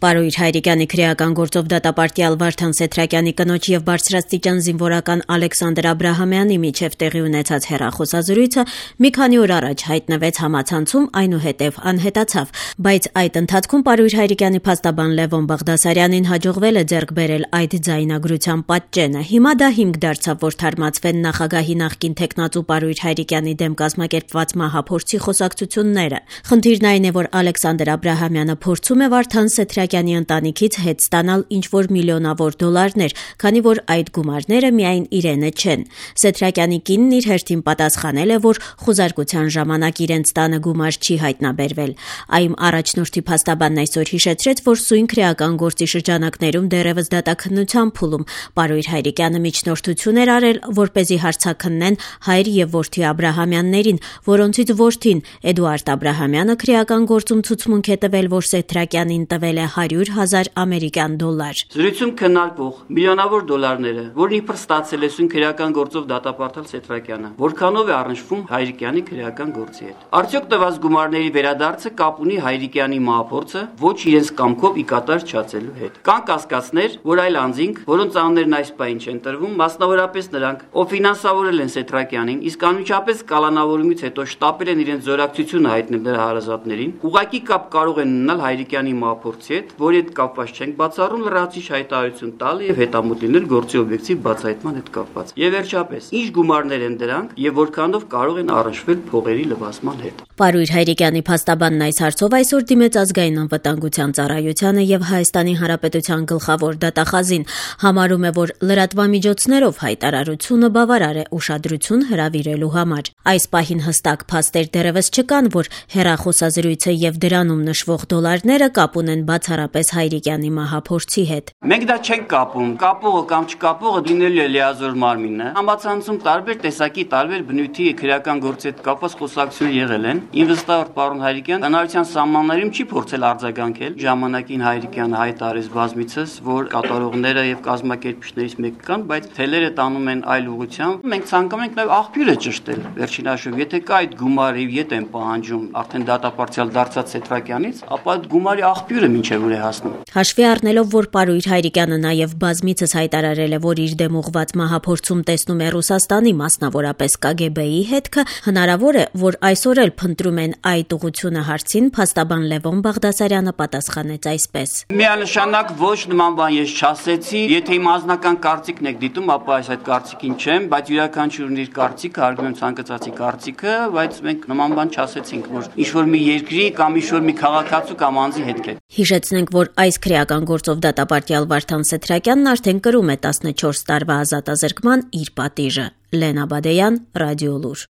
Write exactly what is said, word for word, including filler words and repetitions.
Պարույր Հայրիկյանի քրեական գործով դատապարտյալ Վարդան Սեթրակյանի կնոջ եւ բարձրաստիճան զինվորական Ալեքսանդր Աբրահամյանի միջև տեղի ունեցած հեռախոսազրույցը մի քանի օր առաջ հայտնվեց համացանցում, այնուհետև անհետացավ, բայց այդ ընթացքում Պարույր Հայրիկյանի փաստաբան Լևոն Բաղդասարյանին հաջողվել է ձեռք բերել այդ ձայնագրության պատճենը։ Հիմա դա հիմք դարձավ, որ թարմացվեն նախագահի նախկին թեկնածու Պարույր Հայրիկյանի դեմ կազմակերպված մահափորձի խոսակցությունները։ Խնդիրն այն է, որ Ալեքսանդր Աբրահամյանը փորձում է Վարդան Սեթրակյանի ընտանիքից հետ ստանալ ինչ-որ միլիոնավոր դոլարներ, քանի որ այդ գումարները միայն իրենը չեն։ Սեթրակյանի կինն իր հերթին պատասխանել է, որ խուզարկության ժամանակ իրենց տանը գումար չի հայտնաբերվել։ Այմ առաջնորդի փաստաբանն այսօր հիշեցրեց, որ սույն քրեական գործի շրջանակներում դեռևս դատաքննության փուլում Պարույր Հայրիկյանը միջնորդություն էր արել, որպեսզի հարցաքննեն հայր եւ որդի Աբրահամյաններին, որոնցից որդին Էդուարդ Աբրահամյանը քրեական գործում ցուցմունք է տվել, որ Սեթրակյանին տվել է հարյուր հազար ամերիկյան դոլար։ Զրույցում քննարկվող միլիոնավոր դոլարները, որն իբր ստացել է սույն քրեական գործով դատապարտել Սեթրակյանը, որքանով է առնչվում Հայրիկյանի քրեական գործի հետ։ Արդյոք տված գումարների վերադարձը կապ ունի Հայրիկյանի մահափորձը ոչ իրենց կամքով ի կատար չացելու հետ։ Կան կասկածներ, որ այլ անձինք, որոնց անուններն այս պահին չեն տրվում, մասնավորապես նրանք, ով ֆինանսավորել են Սեթրակյանին, իսկ անմիջապես կալանավորումից հետո շտապել են իրենց զորակցությունը հայտնել նրա հարազատներին, ուղղակի կապ կարող են ունենալ Հայրիկյանի մահափորձի հետ, որի հետ կապված չենք բացառում լրացուցիչ հայտարարություն տալ եւ հետամուտ լինել գործի օբյեկտիվ բացահայտման հետ կապված։ Եվ վերջապես, ինչ գումարներ են դրանք եւ որքանով կարող են առնչվել փողերի լվացման հետ։ Պարույր Հայրիկյանի փաստաբանն այս հարցով այսօր դիմեց ազգային անվտանգության ծառայությանը եւ Հայաստանի Հանրապետության գլխավոր դատախազին, համարում է, որ լրատվամիջոցներով հայտարարությունը բավարար է ուշադրություն հրավիրելու համար։ Այս պահին հստակ փաստեր դեռևս չկան, որ հեռախոսազրույցը եւ դրանում նշվող դոլարները կապ ունեն բացառապես Հայրիկյանի մահափորձի հետ։ Մենք դա չենք կապում, կապողը կամ չկապողը լինելու է լիազոր մարմինը։ Համացանցում տարբեր տեսակի, տարբեր բնույթի քրեական գործի հետ կապված խոսակցություններ եղել են։ Իմ վստահ պարոն Հայրիկյան հանրության սահմաններում չի փորձել արձագանքել։ Ժամանակին Հայրիկյանը հայտարարեց բազմիցս, որ կատարողները եւ կազմակերպիչներից մեկը կան, բայց թելերը տանում են այլ ուղղությամբ։ Մենք ցանկանում ենք նաեւ աղբյուրը ճշտել։ Վերջին հաշվով, եթե կա այդ գումարը եւ ետ են պահանջում արդեն դատապարտյալ դարձած Սեթրակյանից, ապա այդ գումարի աղբյուրը մինչեւ ուր է հասնում։ Հաշվի առնելով, որ Պարույր Հայրիկյանը նաեւ բազմիցս հայտարարել է, որ իր դեմ ուղղված մահափորձում տեսնում է Ռուսաստանի, մասնավորապես Կ Գ Բ-ի հետքը, հնարավոր է, որ այսօր էլ փնտրում են այդ ուղղությունը հարցին, փաստաբան Լևոն Բաղդասարյանը պատասխանեց այսպես. Միանշանակ ոչ նման բան ես չասեցի, եթե իմ անձնական կարծիքն եք դիտում, ապա այս այդ կարծիքին չեմ, բայց յուրաքանչյուրն իր կարծիքը, հարգում եմ ցանկացածի կարծիքը, բայց մենք նման բան չասեցինք, որ ինչ-որ մի երկրի կամ ինչ-որ մի քաղաքացու կամ անձի հետ կետ։ Հիշեցնենք, որ այս քրեական գործով դատապարտյալ Վարդան Սեթրակյանն արդեն կրում է տասնչորս տարվա ազատազրկման իր պատիժը։ Լենա Բադեյան, Ռադիոլուր։